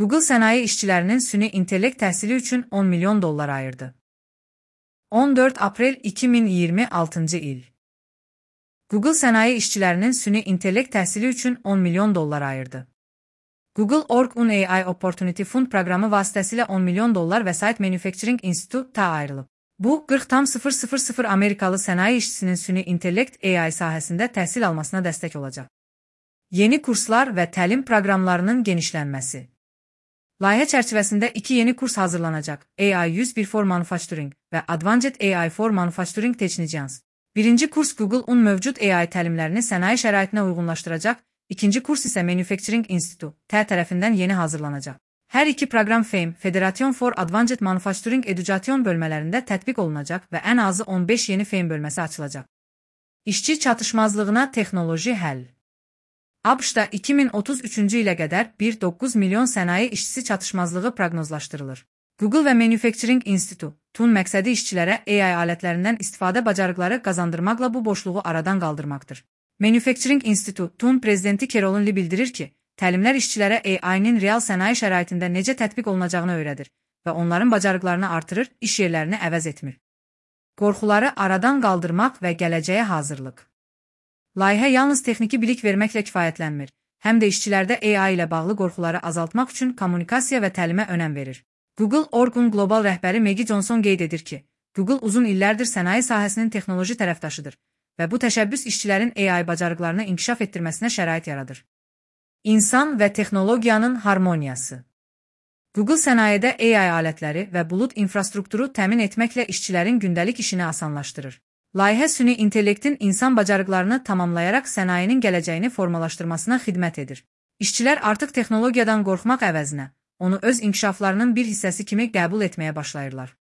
Google sənaye işçilərinin süni intellekt təhsili üçün 10 milyon dollar ayırdı. 14 aprel 2026 il. Google sənaye işçilərinin süni intellekt təhsili üçün 10 milyon dollar ayırdı. Google Org-un AI Opportunity Fund proqramı vasitəsilə 10 milyon dollar vəsait Manufacturing Institute-ta ayrılıb. Bu, 40,000 Amerikalı sənaye işçisinin süni intellekt AI sahəsində təhsil almasına dəstək olacaq. Yeni kurslar və təlim proqramlarının genişlənməsi. Layihə çərçivəsində 2 yeni kurs hazırlanacaq: AI 101 for Manufacturing və Advanced AI for Manufacturing Technicians. Birinci kurs Google-un mövcud AI təlimlərini sənaye şəraitinə uyğunlaşdıracaq, ikinci kurs isə Manufacturing Institute tərəfindən yeni hazırlanacaq. Hər iki proqram FAME, Federation for Advanced Manufacturing Education bölmələrində tətbiq olunacaq və ən azı 15 yeni FAME bölməsi açılacaq. İşçi çatışmazlığına texnoloji həll. ABŞ-da 2033-cü ilə qədər 1,9 milyon sənaye işçisi çatışmazlığı proqnozlaşdırılır. Google və Manufacturing Institute-un məqsədi işçilərə AI alətlərindən istifadə bacarıqları qazandırmaqla bu boşluğu aradan qaldırmaqdır. Manufacturing Institute-un prezidenti Carolyn Li bildirir ki, təlimlər işçilərə AI-nin real sənaye şəraitində necə tətbiq olunacağını öyrədir və onların bacarıqlarını artırır, iş yerlərini əvəz etmir. Qorxuları aradan qaldırmaq və gələcəyə hazırlıq. Layihə yalnız texniki bilik verməklə kifayətlənmir, həm də işçilərdə AI ilə bağlı qorxuları azaltmaq üçün kommunikasiya və təlimə önəm verir. Google Org-un qlobal rəhbəri Maggie Johnson qeyd edir ki, Google uzun illərdir sənaye sahəsinin texnoloji tərəfdaşıdır və bu təşəbbüs işçilərin AI bacarıqlarını inkişaf etdirməsinə şərait yaradır. İnsan və texnologiyanın harmoniyası. Google sənayedə AI alətləri və bulud infrastrukturu təmin etməklə işçilərin gündəlik işini asanlaşdırır. Layihə süni intellektin insan bacarıqlarını tamamlayaraq sənayenin gələcəyini formalaşdırmasına xidmət edir. İşçilər artıq texnologiyadan qorxmaq əvəzinə, onu öz inkişaflarının bir hissəsi kimi qəbul etməyə başlayırlar.